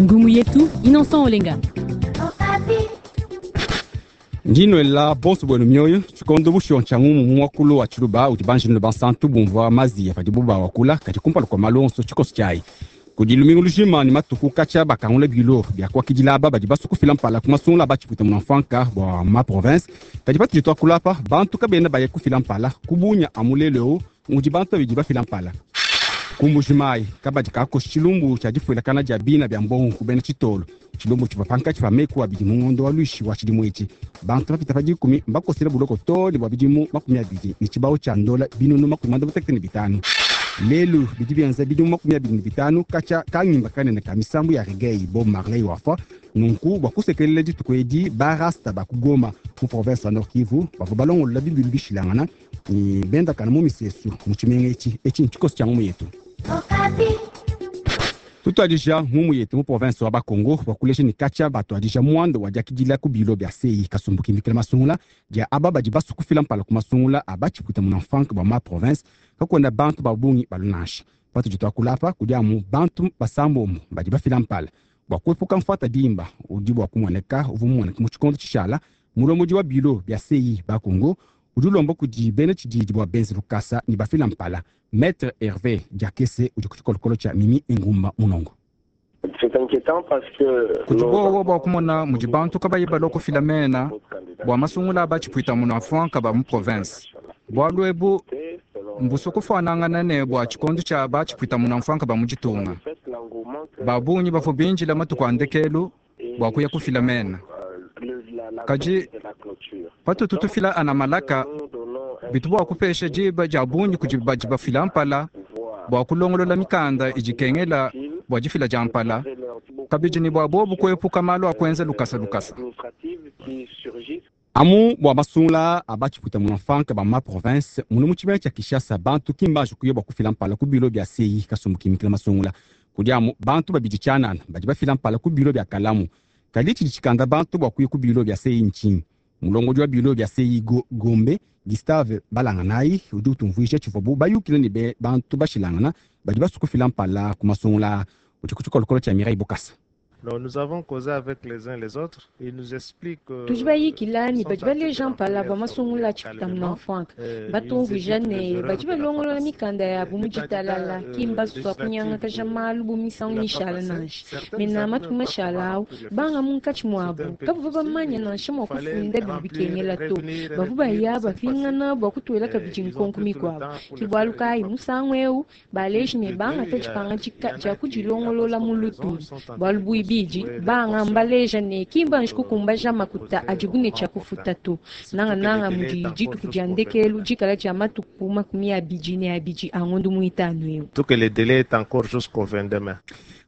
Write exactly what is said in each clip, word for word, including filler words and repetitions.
Ngumu yetu Innocent Olenga. Ndinwela bonso bwenu mioyo tshikondo bushiwa ntshia ngumu mu muakulu wa tshiluba udi banjinino bansantu bumvua maziya padibu bawakula kadi kumpala kua malu onso tshikoso tshiayi kudi lumingu lujima ne matuku katshia bakangula bilo bia kuakidila aba badi basue kufila mpala ku masungula a batshipuita munamfuanka bua ma province. Kadi patudi tuakula apa bantu kabena baya kufila mpala kubunya amu lelu eu mudi bantu babidi bafila mpala. Ku Mbuji-Mayi kabadi kakoshi tshilumbu tshia difuilakana dia bina bia mbongo ku bena tshitolo. Tshilumbu tshivua pankatshi pa meku abidi mu ngondo wa luishi wa tshidimu etshi. Bantu bapita pa dikumi mbakosela buloko too ne bua bidimu makumi abidi ne tshibawu tshia ndola binunu makumi muanda mutekete ne bitanu. Lelu bidi bienza bidimu makumi abidi ne bitanu katshia kangimba kanene ka misambu ya reggae Bob Marley wafua. Nunku bua kusekelela dituku edi ba rasta ba ku Goma mu province wa Nord Kivu bavua balongolola bibilu bishilangana ne bendakana mu misesu mu tshimenga etshi. Etshi ntshikoso tshia ngumu yetu. Tutuadija ngumu yetu mu province wa Bakongo bua kulesha ne katshia batuadija muanda wa diakidila ku bilo bia C I kasumbu kimikila masungula dia aba badi basue kufila mpala ku masungula a batshipuita munamfuanka bua ma province kakwenda bantu ba bungi balunansha. Patudi tuakula apa kudi amu bantu basambombo badi bafila mpala bua kuepuka mfuata dimba udi bua kumuoneka uvua mumuoneka mu tshikondo tshishala. Mulombodi wa bilo bia C I Bakongo udi ulomba kudi bena tshididi bua benze lukasa ne bafila mpala. Maître Hervé Diakese udi ku tshikolokolo tshia Mimi Engumba Munongo. Kudi bowa bua kumona mudi bantu kabayi balua kufila mena bua masungula a batshipuita munamfuanka ba mu province. Bualu ebu mbusue kufuanangana ne bua tshikondo tshia batshipuita munamfuanka ba mu ditunga. Ba bungi bavua bindila matuku a ndekelu bua kuya kufila mena. Kadi patutu tufila ana malaka bitu bua kupesha diba dia bungi kudi badi bafila mpala bua kulongolola mikanda idi ikengela bua difila dia mpala, kabidi ne bua bobu kuepuka malu a kuenza lukasa lukasa. Amu bua masungula a batshipuita munamfuanka ba ma province munu mu tshimenga tshia Kinshasa bantu ki mbanji kuya bua kufila mpala ku bilo bia C I kasumbu kimikila masungula. Kudi amu bantu babidi tshianana badi bafila mpala ku bilo bia Kalamu. Kadi tshidi tshikanda bantu bua kuya ku bilo bia C I ntshinyi? Mulongodi wa bilo bia C I Gombe Gustave Balanganayi udi utumvuija tshivuabu bayukila ne be bantu bashilangana badi basue kufila mpala ku masungula. Udi ku tshikolokolo tshia Mireille Bukasa. Donc nous avons causé avec les uns les autres. Ils nous expliquent Tudi bayikila ne badi baleja mpala bua masungula a tshipuita munamfuanka. Batumvuija ne badi balongolola mikanda yabu mu ditalala, ki mbasua kunyangakaja malu bu misangu mishala nansha. Mena matuku mashala awu banga munkatshi muabu kabavua bamanya nansha mua kufunda bidi bikengela to. Bavua baya bapingana bua kutuela kabidi nkonko mikuabu. Ke bualu kayi musangu eu baleji ne bangata dipangadika dia kudilongolola mu lutulu. Bualu buibidi banga mbaleja ne ki mbanji kukumbaja makuta adibu ne tshia kufuta to. Nangananga mudi dituku dia ndekelu dikala dia matuku makumi abidi ne abidi a ngondo muitanu eu. Tout que le délai est encore jusqu'au vingt-deux mai.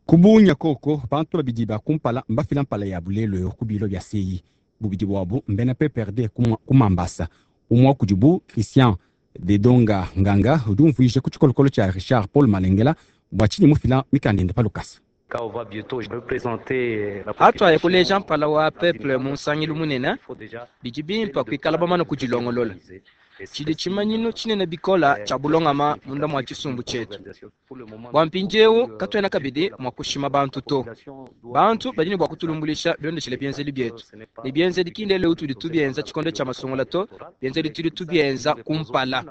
Kubunya koko bantu babidi ba kumpala mbafila mpala ya bulelo yo ku bilo bia C I. Bubidi bwabu mbena P P R D ku Mambasa. Umwe kudibu Christian Dedonga Nganga udi umvuija ku tshikolokolo tshia Richard Paul Malengela bua tshinyi mufila mikanda ende pa lukasa. Hatwaya kuleja mpala wa peuple mu nsangilu munene bidi bimpa kuikala bamane kudilongolola. Tshidi tshimanyinu tshinene bikola tshia bulongama munda mua tshisumbu tshietu. Bua mpindiewu katuena kabidi mua kushima bantu to. Bantu badi ne bua kutulumbulisha bilondeshile bienzedi bietu ne bienzedi ki ndele tudi tubienza tshikondo tshia masungula to, bienzedi tudi tubienza kumpala.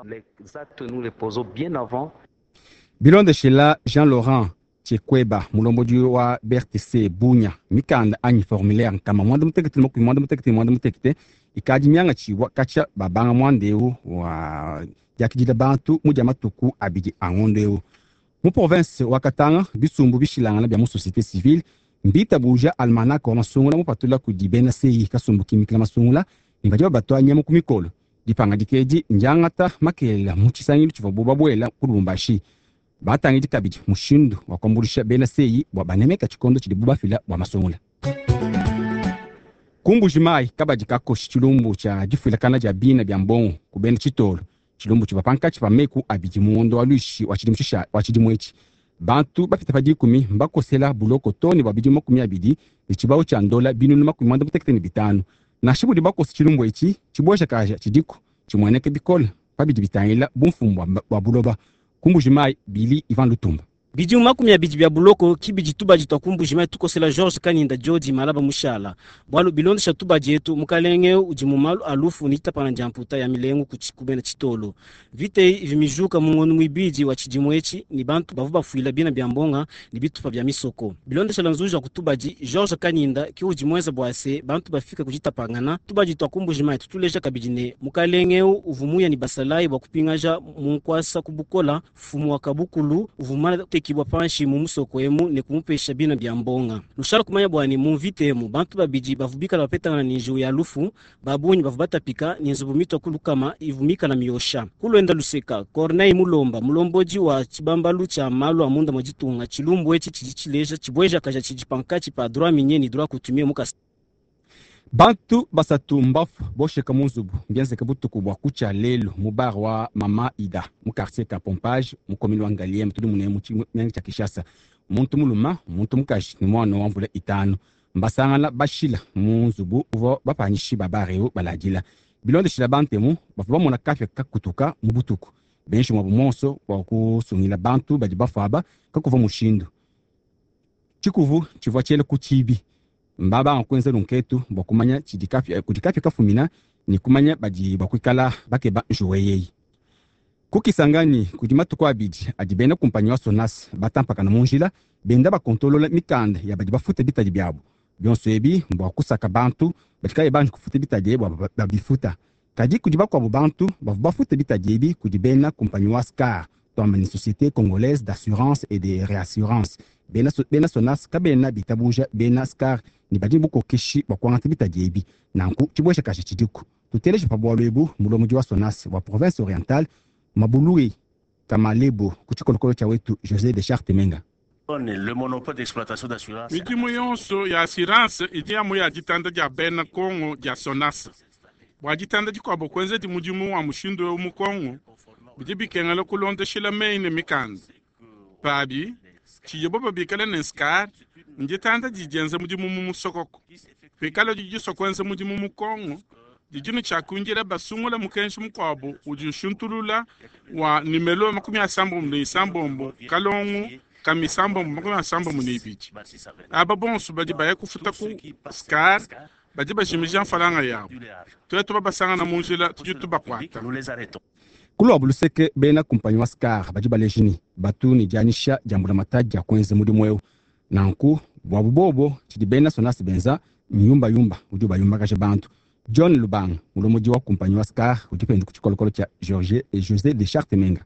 Bilondeshela Jean Laurent Tchekweba mulombodi wa B R T C Bunya mikanda anyi formulaire nkama muanda mutekete makumi muanda mutekete muanda mutekete ikadi miangatshibua katshia babanga muanda eu wa diakidila bantu mu dia matuku abidi a ngondo eu. Mu province wa Katanga bisumbu bishilangana bia mu société civile mbitabuja almanach wa masungula mupatula kudi bena C I kasumbu kimikila masungula ne badi babatwa nyama ku mikolo. Dipangadika edi ndiangata makelela mu tshisangilu tshivuabu babuela ku Lubumbashi. Batangidi kabidi mushindu wa kuambuluisha bena C I bua banemeka tshikondo tshidibu bafila bua masungula. Ku Mbuji-Mayi kabadi kakoshi tshilumbu tshia difuilakana dia bina bia mbongo ku bena tshitolo. Tshilumbu tshivua pankatshi pa meku abidi mu ngondo wa luishi wa tshidimu wa tshidimu etshi. Bantu bapita pa dikumi mbakosela buloko too ne bua bidimu makumi abidi ne tshibawu tshia ndola binunu makumi muanda mutekete ne bitanu. Nansha budi bakosa tshilumbu etshi tshibuejakaja tshidiku tshimueneke bikole pa bidi bitangila bumfumu bua buloba. Ku Mbuji-Mayi Bili Ivan Lutumba. Bidimu makumi abidi bia buloko kibidi tubadi twa kumbujima tukosela George Kanyinda Jodi malaba mushala bwalu bilondesha tubadi etu mukalenge udi mu malu alufu ni tapana dia mputa ya milengu kubena chitolo vite ivimijuka mungono mwibidi wa chidimu echi ni bantu bavu bafuila bina bya mbonga ni bitupa bya misoko bilondesha la nzuja kutubadi George Kanyinda ki udi mwenza bwase bantu bafika kujitapangana tubadi twa kumbujima tutuleja kabidi ne mukalenge uvumuya ni basalai bwa kupingaja munkwasa kubukola fumu wa kabukulu uvumana tekibwa panshi mu musoko emu ne kumupesha bina bya mbonga lushalo kumanya bwani mu mvite emu bantu babidi bavubikala bapetangana ni njiwu ya lufu babunyi bavu batapika ni nzubu mitwa kulukama ivumika na miyosha kulwenda luseka Corneille Mulomba mulomboji wa chibambalu cha malu amunda mwajitunga chilumbu echi chijichileja chibweja kaja chijipankachi pa droit minier ni droit coutumier mukasa. Bantu basatu mbafu bosheka munzubu mbienzeka butuku bwa kucha lelo mu bar wa Mama Ida mu quartier ka Pompage mu commune wa Ngaliema tudi mune mu tshimenga tshia Kinshasa. Muntu muluma muntu mukaji ni mwana wa mvula itanu mbasangana bashila mu nzubu uvua bapanyishi ba bar eu baladila bilondeshila bantemu bavua bamona kapia kakutuka mu butuku benshi mwabu monso bua kusungila bantu badi bafuaba kakuva mushindu tshikuvu tshivua tshiele ku tshibi mbaba kwenza lunketu bwa kumanya chidikapi kudikapi kafumina ni kumanya badi bakwikala bakeba njuweyeyi kukisangani kudi matuku abidi adi bena kumpanyi wa Sonas batampakana munjila benda bakontolola mikanda ya badi bafuta bitadi byabo byonso ebi mbwa kusaka bantu batikaye banji kufuta bitadi bwa babifuta kadi kudi bakwabo bantu bavu bafuta bitadi ebi kudi bena kumpanyi wa SCAR twamba ni Société Congolaise d'Assurance et de Réassurance bena, bena Sonas kabena bitabuja bena SCAR ni badi bukokeshi bwa kuangata bitadi ebi nanku tshibwesha kashi tshidiku tuteleje pa bwalu ebu mulomudi wa Sonas wa province orientale Mabului Kamalebo ku tshikolokolo tshia wetu José de Charte Menga. Midimu yonso ya assurance idi amu ya ditanda dia bena Kongo dia Sonas bwa ditanda dikuabo kuenza di mudimu wa mushindu eu mu Kongo bidi bikengela kulondeshila meyi ne mikanda pabi tshiye bo babikala ne SCAR nditanda didienza mudimu mu musokoko pikala didisua kuenza mudimu mu Kongo didinu tshia kunjila basungula mukenji mukuabu udi ushintulula wa nimelo makumi asambombo ne isambombo kalongo kamisambombo makumi asambombo ne ibidi aba bonso badi baya kufuta ku SCAR badi bajimija mfalanga yabo tuetu babasangana mu njila tudi tubakuata. Kulwa buluseke bena kumpanyi wa SCAR badi balejini batu ni dianyisha dia mbulamatadi dia kuenza mudimu eu nanku bwabu bobo tshidi bena Sonas benza nyumba yumba udi bayumbakaje bantu. John Lubang mulomodi wa kumpanyi wa SCAR udi pende ku tshikolokolo tshia George et José de Charte Menga.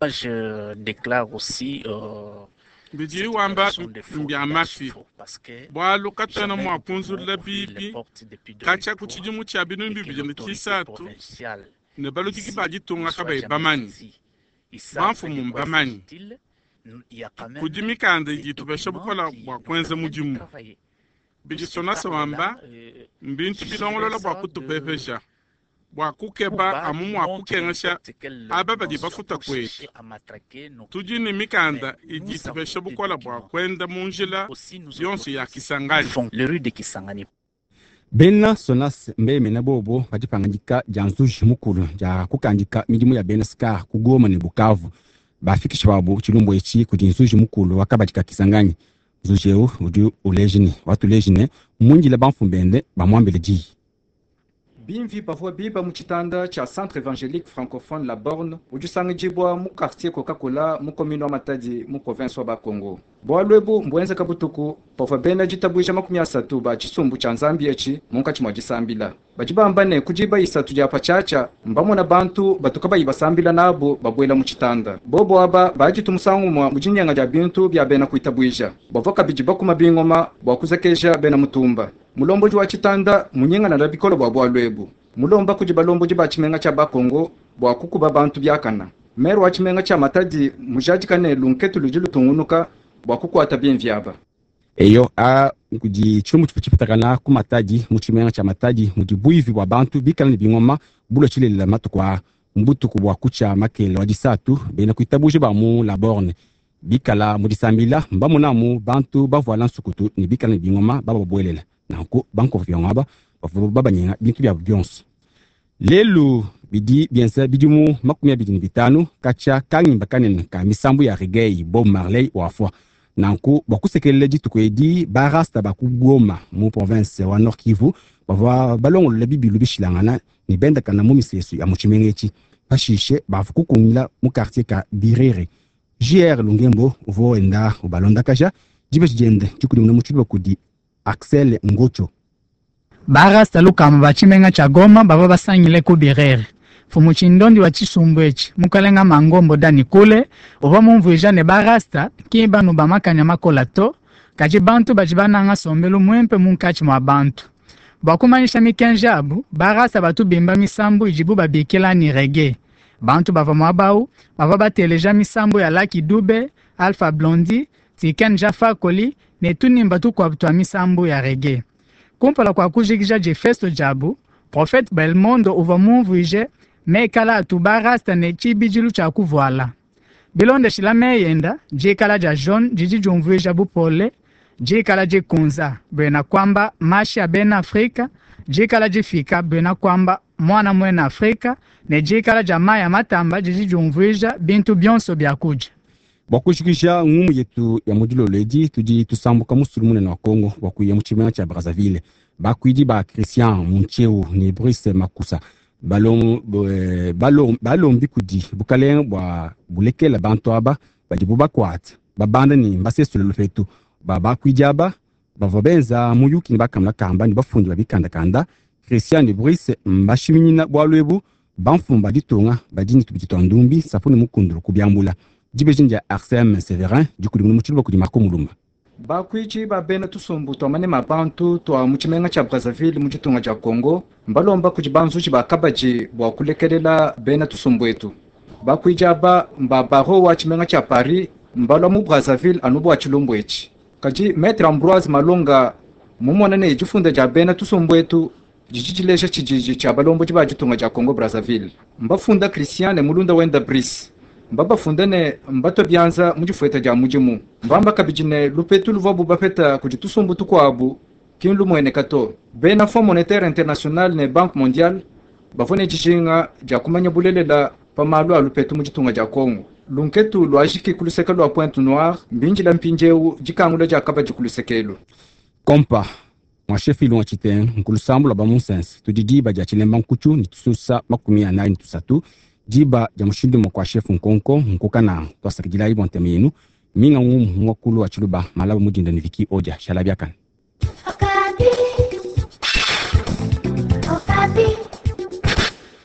Je déclare aussi euh, bidi wamba mbya mafi bwalu katwena mwa kunzulula bibi katshia ku tshidimu tshia binunu bibidi ne tshisatu ne baludiki ba ditunga kabayi bamanyi bamfumu mbamanyi kudi mikanda idi itupesha bukola bua kuenza mudimu bidi Sonas wamba mbintu bilongolola bua kutupepesha bua kukeba amu mua kukengesha aba badi bafuta kwetu tudi ne mikanda idi itupesha bukola bua kuenda mu njila yonso ya Kisangani. Bena Sonas mbemena bobo badipangandika dia nzuji mukulu dia kukandika midimu ya bena SCAR ku Goma ne Bukavu bafikisha babo tshilumbu etshi kudi nzuji mukulu wakabadika Kisangani. Nzuji eu udi ulejini watulejine mundila bamfumbende bamwambile diyi. Bimvi bavua biba mu tshitanda tshia Centre Évangélique Francophone La Borne udi usangidibwa mu quartier Coca-Cola mu commune wa Matadi mu province wa Bakongo. Bwalu ebu mbuenzeka butuku pavua bena ditabuja makumi asatu ba tshisumbu tshia nzambi etshi munkatshi mua disambila. Badi bamba ne kudiba isatu dia patshiatshia mbamona bantu batuka bayi basambila nabo babuela mu tshitanda. Bobo aba baditu musangu mwa mu dinyenga dia bintu bia bena kuitabuja. Bavua kabidi bakuma bingoma bua kuzekeja bena mutumba. Mulomboji wa tshitanda munyengana na bikolo bua bwalu ebu. Mulomba kudi balomboji ba tshimenga tshia Bakongo bua kukuba bantu biakana. Maire wa tshimenga tshia Matadi mujadikane lunketu ludi lutungunuka bua kukuata bimvi aba. Eyo a kudi tshilumbu tshipitakana ku Matadi mu tshimenga tshia Matadi mudi buivi bua bantu bikala ne bingoma bulua tshilelela matuku aa mbutuku bua kutshia makele wa disatu bena kuitabuja ba mu La Borne bikala mu disambila mbamonamu bantu bavuala nsukutu ne bikala ne bingoma bababuelela nanku bankovu byongaba bavua babanyenga bintu byabo byonso. Lelu bidi bienza bidimu makumi abidi ne bitanu katshia kangimba kanene ka misambu ya reggae Bob Marley wafua. Nanku bua kusekelela dituku edi barasta ba ku Goma mu province wa Nord Kivu bavua balongolola bibilu bishilangana ne bendakana mu misesu ya mu tshimenga etshi. Pashishe bavua kukungila mu quartier ka Birere. J R Lungembo uvua wenda ubalondakaja dibeji diende dikudimuna mu tshiluba kudi Axel Ngocho. Barasta lukama ba tshimenga tshia Goma bavua basangile ku Birere. Mfumu tshindondi wa tshisumbu etshi mukalenga Mangombo Dani Kule uvua mumvuija ne barasta ki banu ba makanya makola to, kadi bantu badi bananga sombelu muimpe munkatshi mua bantu. Bua kumanyisha mikenji abu, barasta batu bimba misambu idibu babikila ni reggae. Bantu bavua muaba bavua bateleja misambu ya Lucky Dube, Alpha Blondy, Tiken Jah Fakoly ne tunimba tukuabu tua misambu ya reggae. Kumpala kua kujikija difesto diabu, Prophète Belmondo uvua mumvuije mekala atu barasta ne tshibidilu tshia kuvuala. Bilondeshila meyenda, dikala dia jaune didi diumvuija bupole, dikala dikunza buena kwamba mashi a bena Afrika, dikala difika buena kwamba mwana mwena Afrika, ne dikala dia maya matamba didi diumvuija bintu bionso bia kudia. Bua kujikija ngumu yetu ya mudilolo edi tudi tusambuka musulu munene wa Congo bua kuya mu tshimenga tshia Brazzaville. Bakuidi ba Christian Muntsheu ne Brice Makusa balom, balom, balombi kudi bukalenge bua bulekela bantu aba badibu bakuate babanda ne mbasesule lupetu. Ba bakuidi aba bavua benza muyuki ne bakamula kamba ne bafundi ba bikandakanda. Christian ne Brice mbashiminyina bualu ebu bamfumu ba ditunga badi ne tubidi tua ndumbi sapu ne mukundulu kubiambula. Dibeji dia Arsène Severin dikudimuna mu tshiluba kudi Marco Mulumba. Bakuidi ba bena tusumbu tua manema bantu tua mu tshimenga tshia Brazzaville mu ditunga dia Congo mbalomba kudi banzuji ba kabadi bua kulekelela bena tusumbu etu. Bakuidi aba mba baro wa tshimenga tshia Paris mbalwa mu Brazzaville anu bua tshilumbu etshi. Kadi Maître Ambroise Malonga mumona ne difunda dia bena tusumbu etu didi dileja tshididi tshia balombodi ba ditunga dia Congo Brazzaville. Mbafunda Christian ne mulunda wenda Brice. Mbabafunda ne mbato bianza mu difueta dia mudimu. Mbamba kabidi ne lupetu luvuabu bapeta kudi tusumbu tukuabu ki lumueneka to. Bena Fonds Monétaire International ne Banque Mondiale bavua ne dijinga dia kumanya bulelela pa malu a lupetu mu ditunga dia Congo. Lunketu luajiki ku luseke lua Pointe Noire mbinjila mpindieu dikangula dia kabadi ku lusekelu. Kompa mwa chef ilunga tshitenge nkulusambu lwa bamunsense tudi diba dia tshilemba nkutshu ne tususa makumi anayi ne tusatu. Diba dia mushindu mwa kwa chef nkonko nkukana twasakidilayi bua ntema yenu minga ngumu mwakulu wa tshiluba malaba mudinda ne Viki Odia shala biakana. Okapi. Okapi.